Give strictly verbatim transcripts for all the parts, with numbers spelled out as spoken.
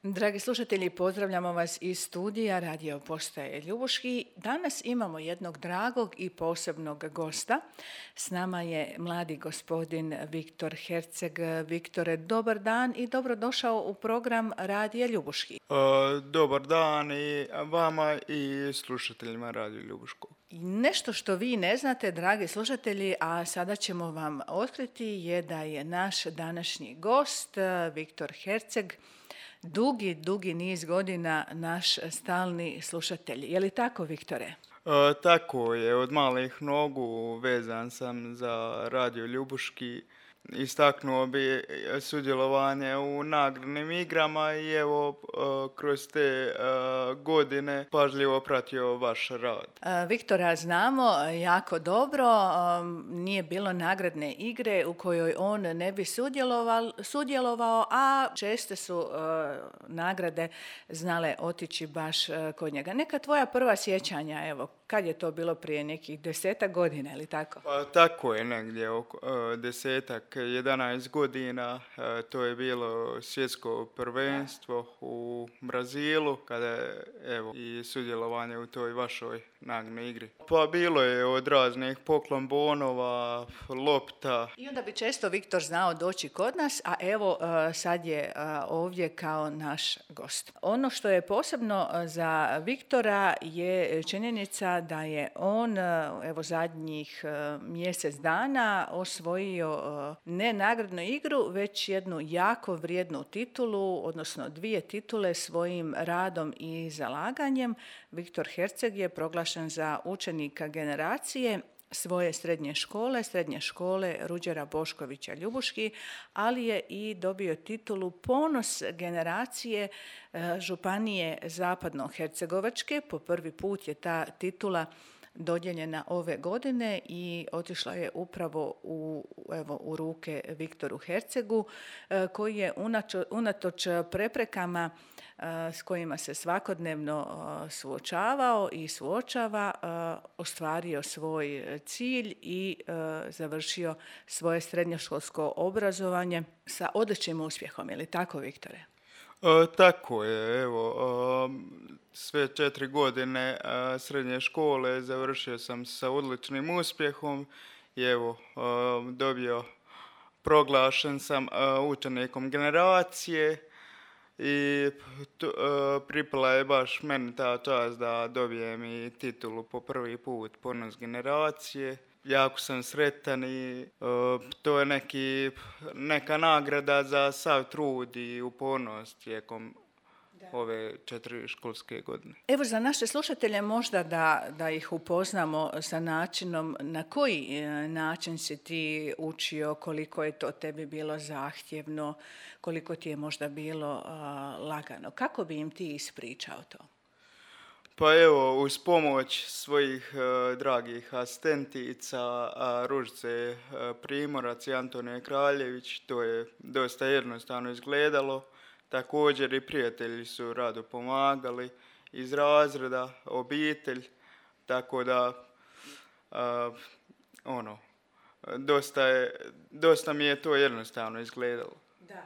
Dragi slušatelji, pozdravljamo vas iz studija Radio Postaje Ljubuški. Danas imamo jednog dragog i posebnog gosta. S nama je mladi gospodin Viktor Herceg. Viktore, dobar dan i dobrodošao u program Radija Ljubuški. Uh, dobar dan i vama i slušateljima Radio Ljubuškog. Nešto što vi ne znate, dragi slušatelji, a sada ćemo vam otkriti, je da je naš današnji gost, Viktor Herceg, dugi, dugi niz godina naš stalni slušatelj. Je li tako, Viktore? Uh, tako je, od malih nogu vezan sam za Radio Ljubuški. Istaknuo bi sudjelovanje u nagradnim igrama i evo uh, kroz te uh, godine pažljivo pratio vaš rad. Uh, Viktora znamo jako dobro, um, nije bilo nagradne igre u kojoj on ne bi sudjelovao, sudjelovao a česte su uh, nagrade znale otići baš uh, kod njega. Neka tvoja prva sjećanja, evo, kad je to bilo prije nekih desetak godina, ili tako? Pa tako je, negdje oko uh, desetak, jedanaest godina, uh, to je bilo svjetsko prvenstvo u Brazilu, kada je evo i sudjelovanje u toj vašoj nagradnoj igri. Pa bilo je od raznih poklon bonova, lopta. I onda bi često Viktor znao doći kod nas, a evo uh, sad je uh, ovdje kao naš gost. Ono što je posebno za Viktora je činjenica da je on evo zadnjih mjesec dana osvojio ne nagradnu igru, već jednu jako vrijednu titulu, odnosno dvije titule svojim radom i zalaganjem. Viktor Herceg je proglašen za učenika generacije svoje srednje škole, srednje škole Ruđera Boškovića Ljubuški, ali je i dobio titulu Ponos generacije Županije Zapadnohercegovačke. Po prvi put je ta titula dodijeljena ove godine i otišla je upravo u, evo, u ruke Viktoru Hercegu, koji je unatoč preprekama s kojima se svakodnevno suočavao i suočava, ostvario svoj cilj i završio svoje srednjoškolsko obrazovanje sa odličnim uspjehom. Je li tako, Viktore? E, tako je, evo, e, sve četiri godine e, srednje škole završio sam sa odličnim uspjehom i evo, e, dobio, proglašen sam e, učenikom generacije i t, e, pripala je baš meni ta čast da dobijem i titulu po prvi put Ponos generacije. Jako sam sretan i uh, to je neki, neka nagrada za sav trud i upornost tijekom da. ove četiri školske godine. Evo za naše slušatelje možda da, da ih upoznamo sa načinom na koji način si ti učio, koliko je to tebi bilo zahtjevno, koliko ti je možda bilo uh, lagano. Kako bi im ti ispričao to? Pa evo, uz pomoć svojih uh, dragih asistentica, uh, Ružice uh, Primorac i Antonije Kraljević, to je dosta jednostavno izgledalo. Također i prijatelji su rado pomagali iz razreda, obitelj, tako da uh, ono, dosta, je, dosta mi je to jednostavno izgledalo. Da.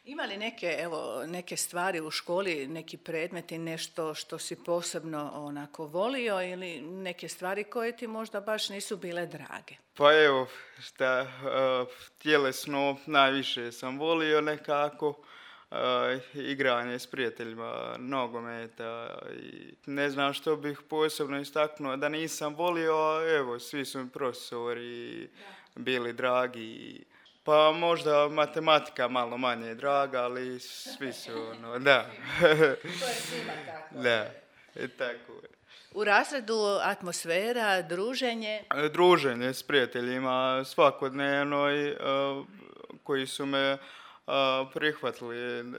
Ima li neke, evo, neke stvari u školi, neki predmeti, nešto što si posebno onako volio ili neke stvari koje ti možda baš nisu bile drage? Pa evo, šta, uh, tjelesno najviše sam volio nekako, uh, igranje s prijateljima, nogometa i ne znam što bih posebno istaknuo da nisam volio, a evo, svi su mi profesori bili dragi. Pa možda matematika malo manje draga, ali svi su ono, da. To je svima tako. Da, i tako je. U razredu atmosfera, druženje? Druženje s prijateljima svakodnevno i uh, koji su me uh, prihvatili uh,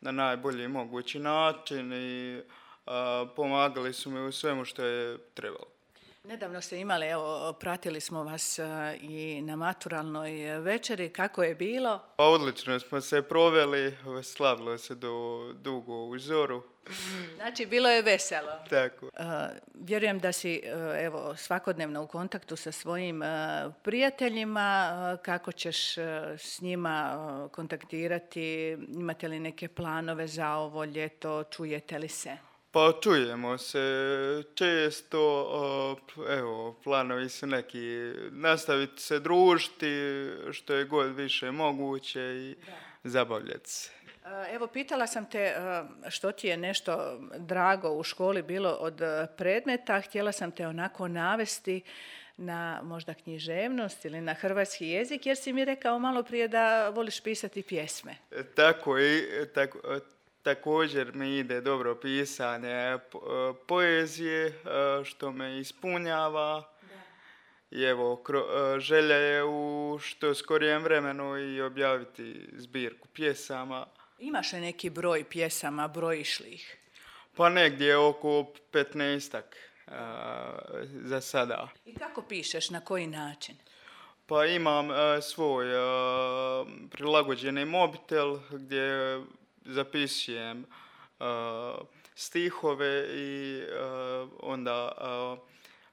na najbolji mogući način i uh, pomagali su mi u svemu što je trebalo. Nedavno ste imali, evo, pratili smo vas e, i na maturalnoj večeri. Kako je bilo? Pa odlično smo se proveli, slavilo se do dugo u zoru. Znači, bilo je veselo. Tako. E, vjerujem da si e, evo, svakodnevno u kontaktu sa svojim e, prijateljima. E, kako ćeš e, s njima e, kontaktirati? Imate li neke planove za ovo ljeto? Čujete li se? Pa čujemo se često, evo, planovi su neki nastaviti se družiti što je god više moguće i da. Zabavljati se. Evo, pitala sam te što ti je nešto drago u školi bilo od predmeta. Htjela sam te onako navesti na možda književnost ili na hrvatski jezik, jer si mi rekao malo prije da voliš pisati pjesme. Tako i tako. Također mi ide dobro pisanje poezije, što me ispunjava. Da. I evo, želja je u što skorijem vremenu i objaviti zbirku pjesama. Imaš li neki broj pjesama, brojiš li ih? Pa negdje oko petnaestak za sada. I kako pišeš, na koji način? Pa imam svoj prilagođeni mobitel gdje zapisujem uh, stihove i uh, onda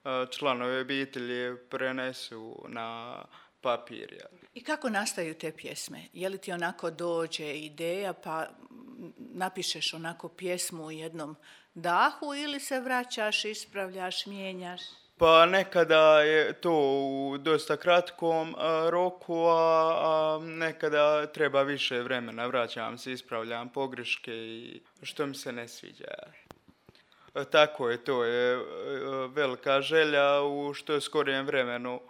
uh, članovi obitelji prenesu na papir. I kako nastaju te pjesme? Je li ti onako dođe ideja pa napišeš onako pjesmu u jednom dahu ili se vraćaš, ispravljaš, mijenjaš? Pa nekada je to u dosta kratkom a, roku, a, a nekada treba više vremena. Vraćam se, ispravljam pogreške i što mi se ne sviđa. A, tako je, to je a, velika želja u što skorijem vremenu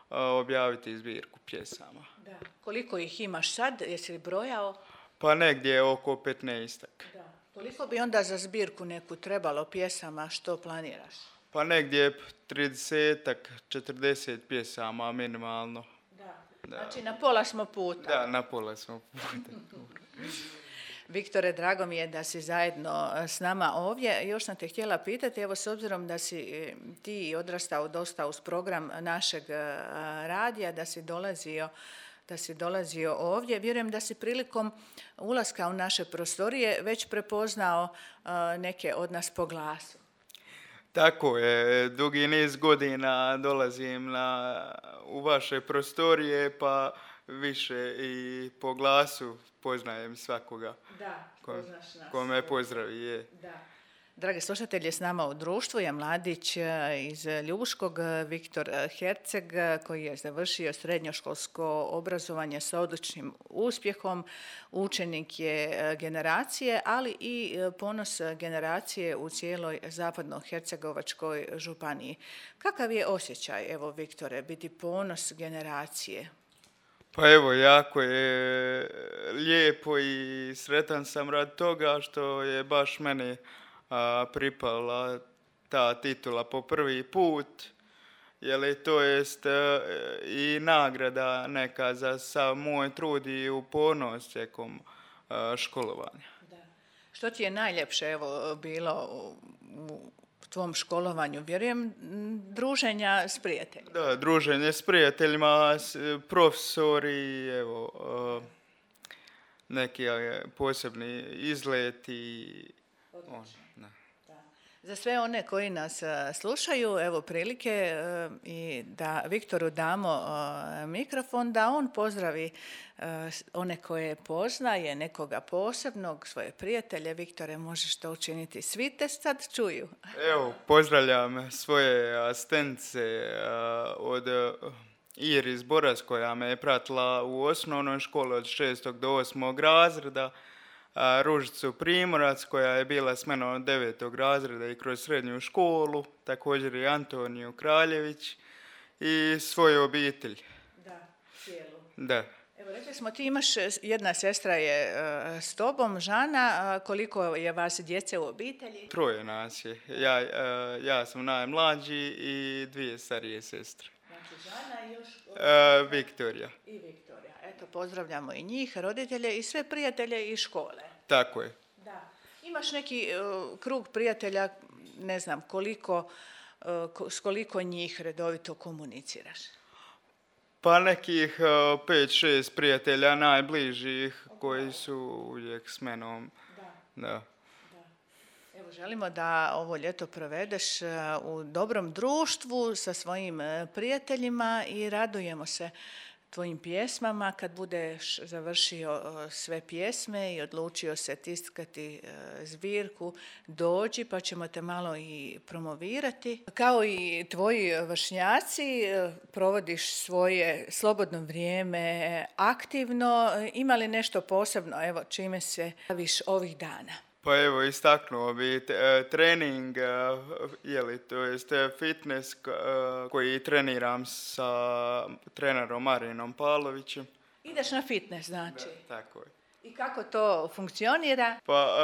a, objaviti zbirku pjesama. Da. Koliko ih imaš sad? Jesi li brojao? Pa negdje oko petnaestak. Da. Koliko bi onda za zbirku neku trebalo pjesama, što planiraš? Pa negdje tridesetak, četrdeset pjesama minimalno. Da. Da. Znači na pola smo puta. Da, na pola smo puta. Viktore, drago mi je da si zajedno s nama ovdje. Još sam te htjela pitati, evo s obzirom da si ti odrastao dosta uz program našeg radija, da si dolazio da si dolazio ovdje. Vjerujem da si prilikom ulaska u naše prostorije već prepoznao neke od nas po glasu. Tako je, dugi niz godina dolazim na, u vaše prostorije, pa više i po glasu poznajem svakoga. Da, poznaš nas. Ko me pozdravi, je. Da. Dragi slušatelji, s nama u društvu je mladić iz Ljubuškog, Viktor Herceg, koji je završio srednjoškolsko obrazovanje sa odličnim uspjehom. Učenik je generacije, ali i ponos generacije u cijeloj Zapadno-hercegovačkoj županiji. Kakav je osjećaj, evo Viktore, biti ponos generacije? Pa evo, jako je lijepo i sretan sam radi toga što je baš meni a, pripala ta titula po prvi put, jer to jest a, i nagrada neka za sav moj trud i upornost tijekom a, školovanja. Da. Što ti je najljepše evo bilo u, u tvom školovanju? Vjerujem druženja s prijateljima. Da, druženje s prijateljima, s, profesori, evo, a, neki posebni izleti. On, da. Za sve one koji nas slušaju, evo prilike i da Viktoru damo mikrofon, da on pozdravi one koje poznaje, nekoga posebnog, svoje prijatelje. Viktore, možeš to učiniti. Svi te sad čuju. Evo, pozdravljam svoje asistentice od Iris Boras, koja me je pratila u osnovnoj školi od šestog do osmog razreda, Ružicu Primorac, koja je bila s menom od devetog razreda i kroz srednju školu, također i Antoniju Kraljević i svoju obitelj. Da, cijelu. Da. Evo, rekli smo, ti imaš, jedna sestra je uh, s tobom, Žana, uh, koliko je vas djece u obitelji? Troje nas je. Ja, uh, ja sam najmlađi i dvije starije sestre. Znači, Žana i još... Uh, Viktorija. I Viktorija. Eto, pozdravljamo i njih, roditelje i sve prijatelje iz škole. Tako je. Da. Imaš neki uh, krug prijatelja, ne znam koliko, s koliko njih redovito komuniciraš? Pa nekih pet, šest prijatelja najbližih koji su uvijek s menom. Da. Da. Evo, želimo da ovo ljeto provedeš u dobrom društvu sa svojim prijateljima i radujemo se tvojim pjesmama. Kad budeš završio sve pjesme i odlučio se tiskati zbirku, dođi pa ćemo te malo i promovirati. Kao i tvoji vršnjaci, provodiš svoje slobodno vrijeme aktivno. Ima li nešto posebno, evo, čime se baviš ovih dana? Pa evo, istaknuo bi trening, jeli, to jest fitness koji treniram sa trenerom Marinom Pavlovićem. Ideš na fitness, znači? Da, tako je. I kako to funkcionira? Pa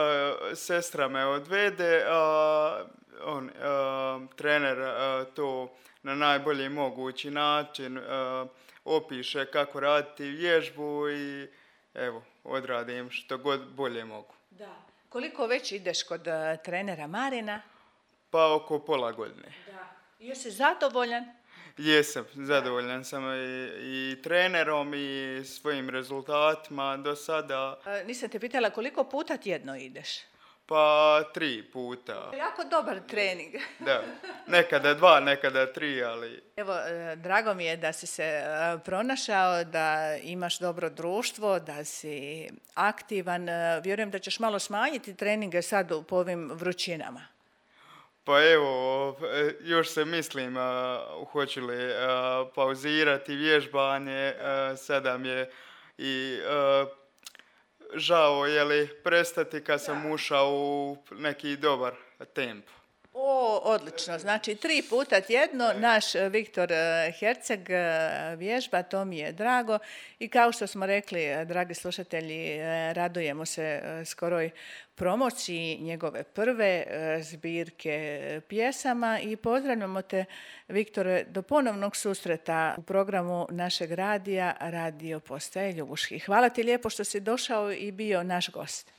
sestra me odvede, a on, a, trener a, to na najbolji mogući način a, opiše kako raditi vježbu i evo, odradim što god bolje mogu. Da. Koliko već ideš kod uh, trenera Marina? Pa oko pola godine. Da. I jesi zadovoljan? Jesam, zadovoljan sam i, i trenerom i svojim rezultatima do sada. Uh, nisam te pitala koliko puta tjedno ideš? Pa tri puta. Jako dobar trening. Da, nekada dva, nekada tri, ali... Evo, drago mi je da si se pronašao, da imaš dobro društvo, da si aktivan. Vjerujem da ćeš malo smanjiti treninge sad po ovim vrućinama. Pa evo, još se mislim, hoću li pauzirati vježbanje, sada mi je i... žao je li prestati kad sam ušao u neki dobar tempo. O, odlično. Znači, tri puta tjedno naš Viktor Herceg vježba, to mi je drago. I kao što smo rekli, dragi slušatelji, radujemo se skoroj promociji njegove prve zbirke pjesama i pozdravljamo te, Viktore, do ponovnog susreta u programu našeg radija, Radio Postaje Ljubuški. Hvala ti lijepo što si došao i bio naš gost.